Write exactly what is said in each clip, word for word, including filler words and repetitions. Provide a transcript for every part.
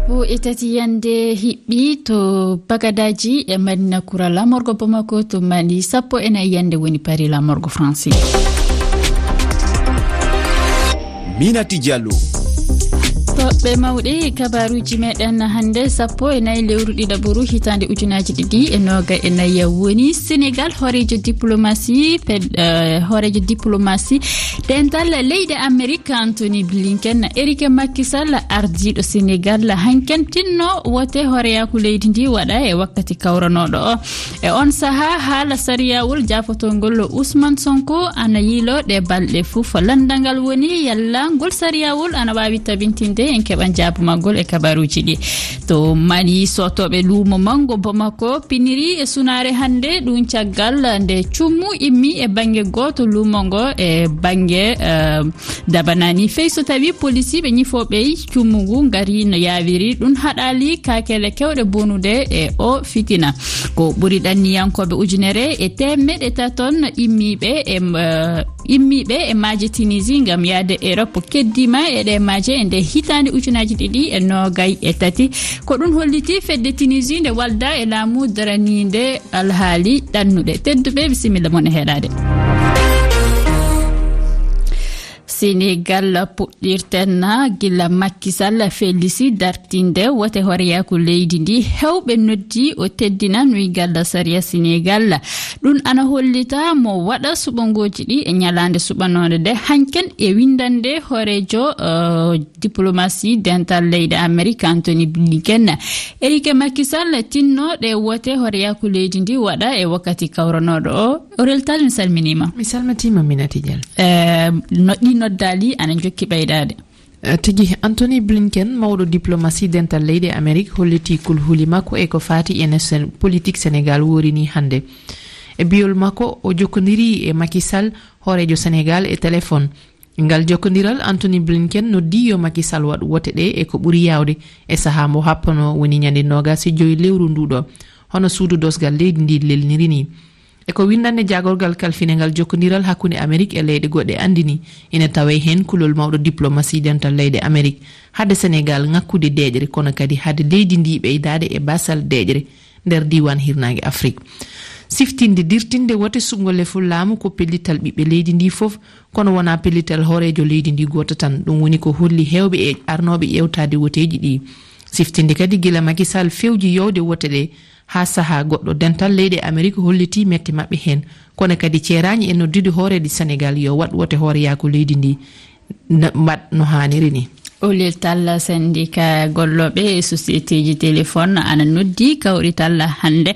Sappo e tati yande hiɓɓi to Bagadaji e Madina Kura, lamorgo Bamako to Mali, sappo e nayi yande woni Paris, lamorgo Fransi. Minati Diallo. Toɓɓe mawɗe e kabaruuji meɗen hannde, sappo e nayi lewru ɗiɗaɓuru hitaande ujunaaji ɗiɗi e nooga e nayi woni Senegal, hooreejo diplomasi, fed-, eh, hooreejo diplomasi dental leyɗe Amerik, Anthony Blinken, Eric Macky Sall, ardiiɗo Senegal, hanken tinno wote hooreyaaku leydi ndi waɗa e wakkati kawranooɗo o. E on sahaa, haala sariyawol jaafotongol Ousmane Sonko ana yiiloo ɗe balɗe fof. Lanndangal woni yalla ngol sariyawol ana waawi tabintinde, en keɓan jaabu maggol e kabaruuji ɗi. To Mali, sootooɓe luumo manngo Bamako piniri e sunaare hannde, ɗum caggal nde cummu immi e bannge gooto luumo ngo e bannge, eh, Dabanani. Fey so tawi polisiiɓe ñifooɓe cummu ngu ngari no yaawiri, ɗum haɗaali kaakele kewɗe bonude e o fitina. Ko ɓuri ɗanniyankooɓe ujunere e teemeɗe taton immiiɓe e, eh, immiiɓe e maaje Tunisie ngam yahde Europe keddiima e ɗe maaje e nde hitaande ujunaaji ɗiɗi e noogay e tati. Ko ɗum holliti fedde Tunisie nde walda e laamu daraniinde alhaali ɗannuɗe. Tedduɓe, bisimilla mon e heɗaade. Senegal puɗɗirten gila Macky Sall fellisi dartinde wote hooreyaaku leydi ndi. Hewɓe noddi o teddina nuygal sariya Senegal. Ɗum ana hollita mo waɗa suɓangooji ɗi e ñalaande suɓanoonde nde hanken e winndande hooreejo, eh, diplomasi dental leyɗe Amerik, Anthony Blinken. Eric Macky Sall tinno ɗe wote hooreyaaku leydi ndi waɗa e wakkati kawranooɗo o. Orel Tall, mi salminiima. Mi salmitiima, Minati Diallo. Eh, no ɗi noddaali ana jokki ɓeydaade. Eh, tigi, Anthony Blinken, mawɗo diplomasi dental leyɗe Amerik, holliti kulhuli makko e ko faati e no Sen-, politik Senegal worini hannde. E biyol makko, o jokkondiri e Macky Sall, hooreejo Senegal, e telefon. Ngal jokkondiral, Anthony Blinken noddi yo Macky Sall waɗ wote ɗe e ko ɓuri yaawde e sahaa mo happanoo, woni ñande noogas e joy lewru nduɗo, hono suudu dosgal leydi ndi lelniri ni. E ko winndannde jaagorgal kalfinengal jokkondiral hakkunde Amerik e leyɗe goɗɗe anndini, ina tawee heen kulol mawɗo diplomasi dental leyɗe Amerik, hade Senegal ŋakkude deeƴre, kono kadi hade leydi ndi ɓeydaade e baasal deeƴre nder diiwaan hirnaange Afrik. Siftinde, dirtinde wote suɓngol lefol laamu ko pellital ɓiɓɓe leydi ndi fof, kono wonaa pellital hooreejo leydi ndi gooto tan. Ɗum woni ko holli heewɓe e arnooɓe ƴeewtaade woteeji ɗi. Siftinde kadi, gila Macky Sall fewji yowde wote ɗe haa sahaa goɗɗo, dental leyɗe Amerik hollitii mette maɓɓe heen, kono kadi ceeraani e noddude hooreejo Senegal yo waɗ wote hooreyaaku leydi ndi, n-, mbaɗ no haaniri ni. Olel Tall, sendika gollooɓe e sosieteeji telefon ana noddi kawrital hannde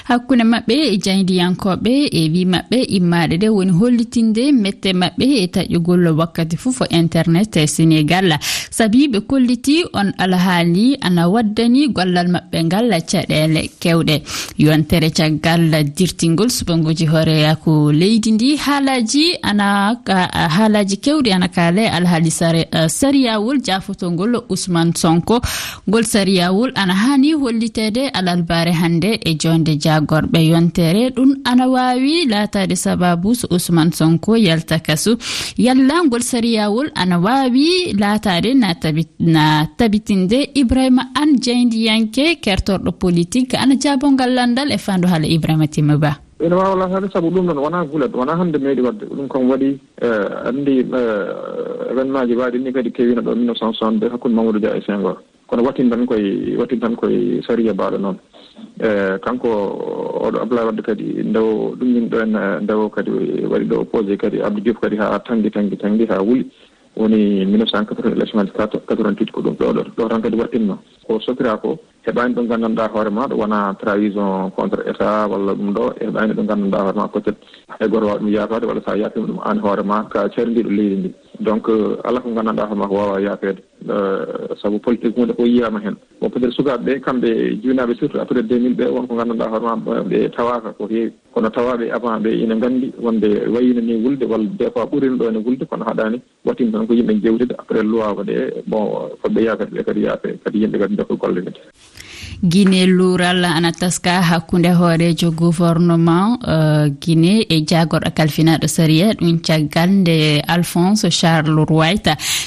hakkunde maɓɓe e jaayndiyankooɓe e wii maɓɓe immaaɗe ɗe woni hollitinde mette maɓɓe e taƴƴugol wakkati fof internet e Senegal. Sabi ɓe kolliti on alhaali ana waddani gollal maɓɓe ngal caɗeele kewɗe. Yontere caggal dirtingol suɓanguuji hooreyaaku leydi ndi, haalaaji ana ka-, haalaaji kewɗi ana kaale alhaali sare-, eh, sariyawol jaafotongol Ousmane Sonko. Ngol sariyawol ana haani holliteede alarbaare hannde e joonde jaagorɓe yontere. Ɗum ana waawi laataade sababu so Ousmane Sonko yalta kasu. Yalla ngol sariyawol ana waawi laataade na tabi-, na tabitinde? Ibrahima An, jaayndiyanke, kertorɗo politik, ana jaabo ngal lanndal e faandu haala Ibrahima Timma Ba. Ina waawa laataade, sabu ɗum ɗoon wonaa gulet, wonaa hannde meeɗi waɗde. Ɗum kam waɗi, eh, anndi, eh, événement ji mbaɗi ni kadi keewino ɗo mille neuf cent soixante-deux hakkunde Mamadou Dia e Senghor. Kono waɗtin tan koye, waɗtin tan koye sariya mbaɗo noon. Eh, kanko oɗo Abdoulaye Wade kadi nde o ɗummin ɗo en, eh, nde o kadi waɗi ɗo posé kadi Abdou Diouf kadi haa tanngi, tanngi, tanngi haa wuli. Woni mille neuf cent quatre-vingts élection aji quatre-vingt-huit ko ɗum ɗo, ɗo, ɗo tan kadi waɗtinno. Ko sokira ko, heɓaani ɗo nganndanɗaa hoore maaɗa, wona trahison contre État walla ɗum ɗo, heɓaani ɗo nganndanɗaa hoore maa peut-être hay gooto waawa ɗum yaafaade, walla so a yaafiima ɗum aan hoore maa ka carindiiɗo leydi ndi. Donc, euh, alaa ko nganndanɗaa hoore maa ko waawaa yaafeede. Euh, sabu politique huunde fof yiyaama heen. Bon, peut-être sukaaɓe ɓe, kamɓe jibinaaɓe surtout après deux mille ɓe, won ko nganndanɗaa hoore maa ɓe tawaaka ko heewi. Kono tawaaɓe avant ɓe ina nganndi wonde wayino ni wulde, walla des fois ɓurino ɗo ene wulde, kono haɗaani. Waɗtin tan ko yimɓe njeewtida, après luwaago ɗe, bon, fodde yaafeede ɓe kadi yaafe, kadi yimɓe kadi njokka golle kadi. Guinée luural ana taska hakkunde hooreejo gouvernement, eh, Guinée e jaagorɗo kalfinaaɗo sariya, ɗum caggal nde Alphonse Charles Wright.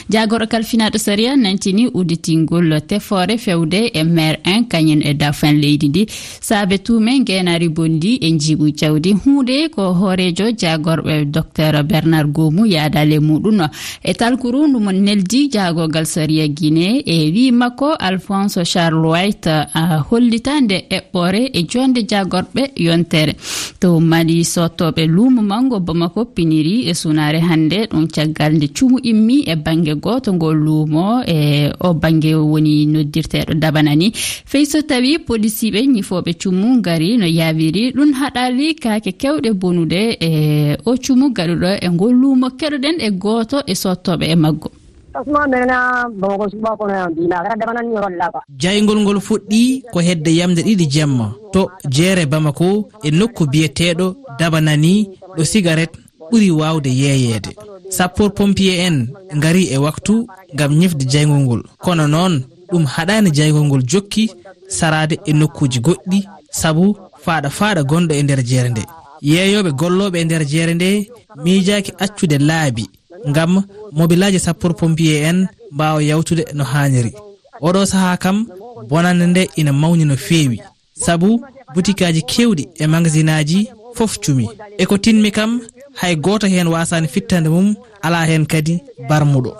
Jaagorɗo kalfinaaɗo sariya nantini udditingol tefoore fewde e maire en kañum e dauphin leydi ndi. Saabe tuume ngeenaari bonndi e njiiɓu jawdi. Huunde ko hooreejo jaagorɓe Docteur Bernard Gomu yaadaale muɗum. E talkuru ndu mo neldi jaagorgal sariya Guinée e wii makko Alphonse Charles Wright, a, hollita nde eɓɓore e jonde jaagorɓe yontere. To Mali, sottooɓe luumo manngo Bamako piniri e sunaare hannde, ɗum caggal nde cumu immi e bannge gooto ngo luumo, e o bannge woni noddirteeɗo Dabanani. Fey so tawi polisiiɓe ñifooɓe cumu ngari no yaawiri, ɗum haɗaali kaake kewɗe bonude e o cumu gaɗuɗo e ngol luumo. Keɗoɗen e gooto e sottooɓe e maggo. Asma mena Bamako suba kono yan bi na kara Dabanani holla ba. Jayngol ngol fuɗɗi ko hedde yamde ɗiɗi jemma to jeere Bamako e nokku biyeteeɗo Dabanani, ɗo sigaret ɓuri waawde yeeyeede. Sappoor pompier en ngari e waktu ngam ñifde jayngol ngol. Kono noon, ɗum haɗaani jayngol ngol jokki saraade e nokkuuji goɗɗi sabu faaɗa faaɗa gonɗo e nder jeere nde. Yeeyooɓe gollooɓe e nder jeere nde miijaaki accude laabi ngam mobilaaji sappoor pompier en mbaawa yawtude no haaniri. Oɗo sahaa kam, bonannde nde ina mawni no feewi, sabu butikaaji keewɗi e magasinaaji fof cumi. E ko tinmi kam, hay gooto heen waasaani fittande mum, alaa heen kadi barmuɗo.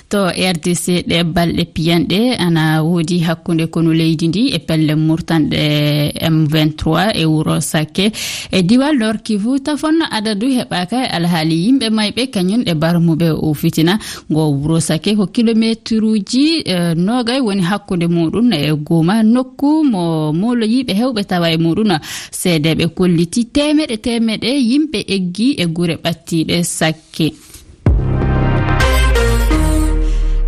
To R D C, ɗe balɗe piyanɗe ana woodi hakkunde konu leydi ndi e pelle murtanɗe M vingt-trois e wuro Sakke e diwal Nord Kivu. Tafon adadu heɓaaka e alhaali yimɓe mayɓe kañum e barmuɓe o fitina. Ngo wuro Sakke ko kilomeetruuji, eh, noogay woni hakkunde muɗum e Goma, nokku mo mooloyiiɓe heewɓe tawa e muɗum. Seedeeɓe kolliti teemeɗe teemeɗe yimɓe eggi e gure ɓattiiɗe Sakke.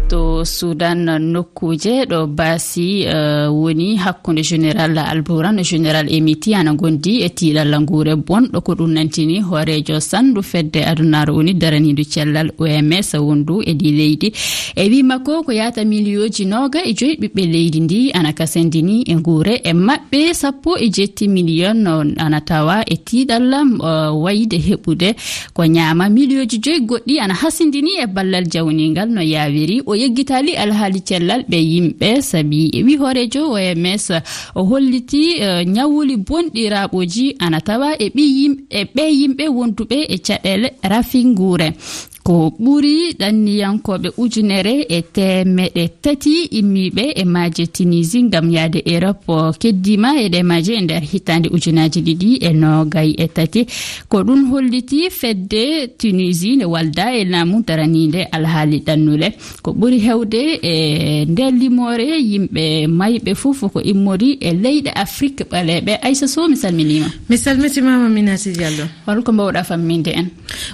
To Sudan, nokkuuje ɗo baasi, eh, woni hakkunde Général Alburan e Général Emiti ana ngondi e tiiɗalla nguure bonɗo. Ko ɗum nantini hooreejo sandu fedde adunaaru woni daraniidu cellal O M S wondu e ɗi leydi. E wii makko ko yaata miliyooji nooga e joyi ɓiɓɓe leydi ndi ana kasandini e nguure e maɓɓe sappo e jetti miliyon no ana tawa e tiiɗalla, eh, wayde heɓude ko ñaama. Miliyooji joyi goɗɗi ana hasindini e ballal jawniingal no yaawiri. O yeggitaali alhaali cellal ɓe yimɓe, sabi e wi hooreejo O M S, o holliti, eh, ñawuli bonɗi raɓooji ana tawa e ɓi yim-, e ɓe yimɓe wonduɓe e caɗeele rafi nguure. Ko ɓuri ɗanniyankooɓe ujunere e teemeɗe tati immiiɓe e maaje Tunisie ngam yahde Europe, o keddiima e ɗe maaje e nder hitaande ujunaaji ɗiɗi e noogay e tati. Ko ɗum holliti fedde Tunisie nde walda e laamu daraniinde alhaali ɗannule. Ko ɓuri heewde e nder limoore yimɓe mayɓe fof ko immori e leyɗe Afrik ɓaleeɓe. Aïssa Sow, mi salminiima. Mi salmitiima, Aminata Diallo. Hol ko mbaawɗaa famminde en?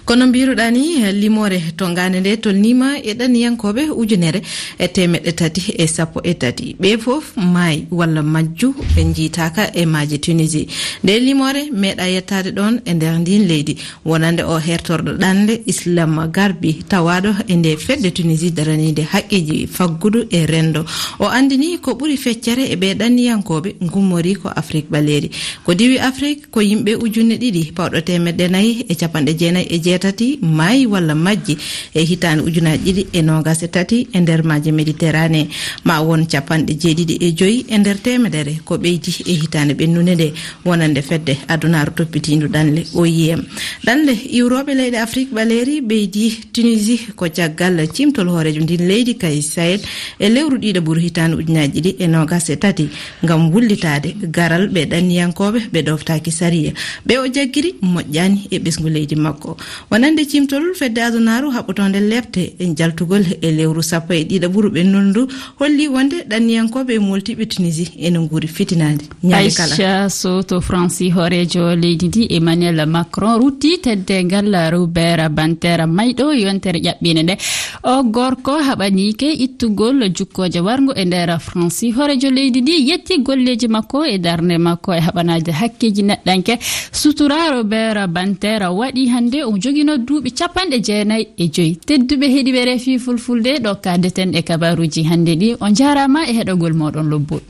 Kono mbiruɗaa ni, limoore to ngaande nde tolniima e ɗanniyankooɓe ujunere e teemeɗɗe tati e sappo e tati. Ɓe fof maayi walla majju ɓe njiitaaka e maaje Tunisie. Nde limoore meeɗa yettaade ɗoon e nder ndiin leydi, wonande o hertorɗo ɗanle Islam Garbi tawaaɗo e nde fedde Tunisie daraniinde haqqeeji faggudu e renndo. O anndini ko ɓuri feccere e ɓe ɗanniyankooɓe ngummori ko Afrik ɓaleeri. Ko diwi Afrik, ko yimɓe ujunne ɗiɗi pawɗo teemedde nayi e capanɗe jeenayi e jeetati maayi walla majji e hitaande ujunaaji ɗiɗi e noogas e tati e nder maaje Méditerranée. Ma won capanɗe jeeɗiɗi e joyi e nder teemedere ko ɓeydi e hitaande ɓennunde nde, wonande fedde adunaaru toppitiindu ɗanle, O I M. Ɗanle iwrooɓe leyɗe Afrik ɓaleeri ɓeydi Tunisie ko caggal ciimtol hooreejo ndin leydi Kais Saied e lewru ɗiɗaɓuru hitaande ujunaaji ɗiɗi e noogas e tati. Ngam wullitaade garal ɓe ɗanniyankooɓe ɓe ɗoftaaki sariya, ɓe o jaggiri moƴƴaani e ɓesngu leydi makko. Wonande ciimtol fedde adunaaru haɓɓotoonde lepte e jaltugol e lewru sappo e ɗiɗaɓuru ɓennundu holli wonde ɗanniyankooɓe e mooltiiɓe Tunisie ene nguuri fitinaade ñande kala. Aïcha Sow, to Faransi, hooreejo leydi ndi Emmanuel Macron rutti teddeengal Robert Badinter mayɗo yontere ƴaɓɓiinde nde. O gorko haɓaniike ittugol jukkooje warngo e nder Faransi. Hooreejo leydi ndi yetti golleeji makko e darnde makko e haɓanaade hakkeeji neɗɗanke. Sutura Robert Badinter waɗi hannde, o jogino duuɓi capanɗe jeetati. Nayi e joyi. Tedduɓe heɗiɓe refi fulfulde, ɗo kaadeten e kabaruuji hannde ɗi. On njaaraama e heɗogol mooɗon lobbo.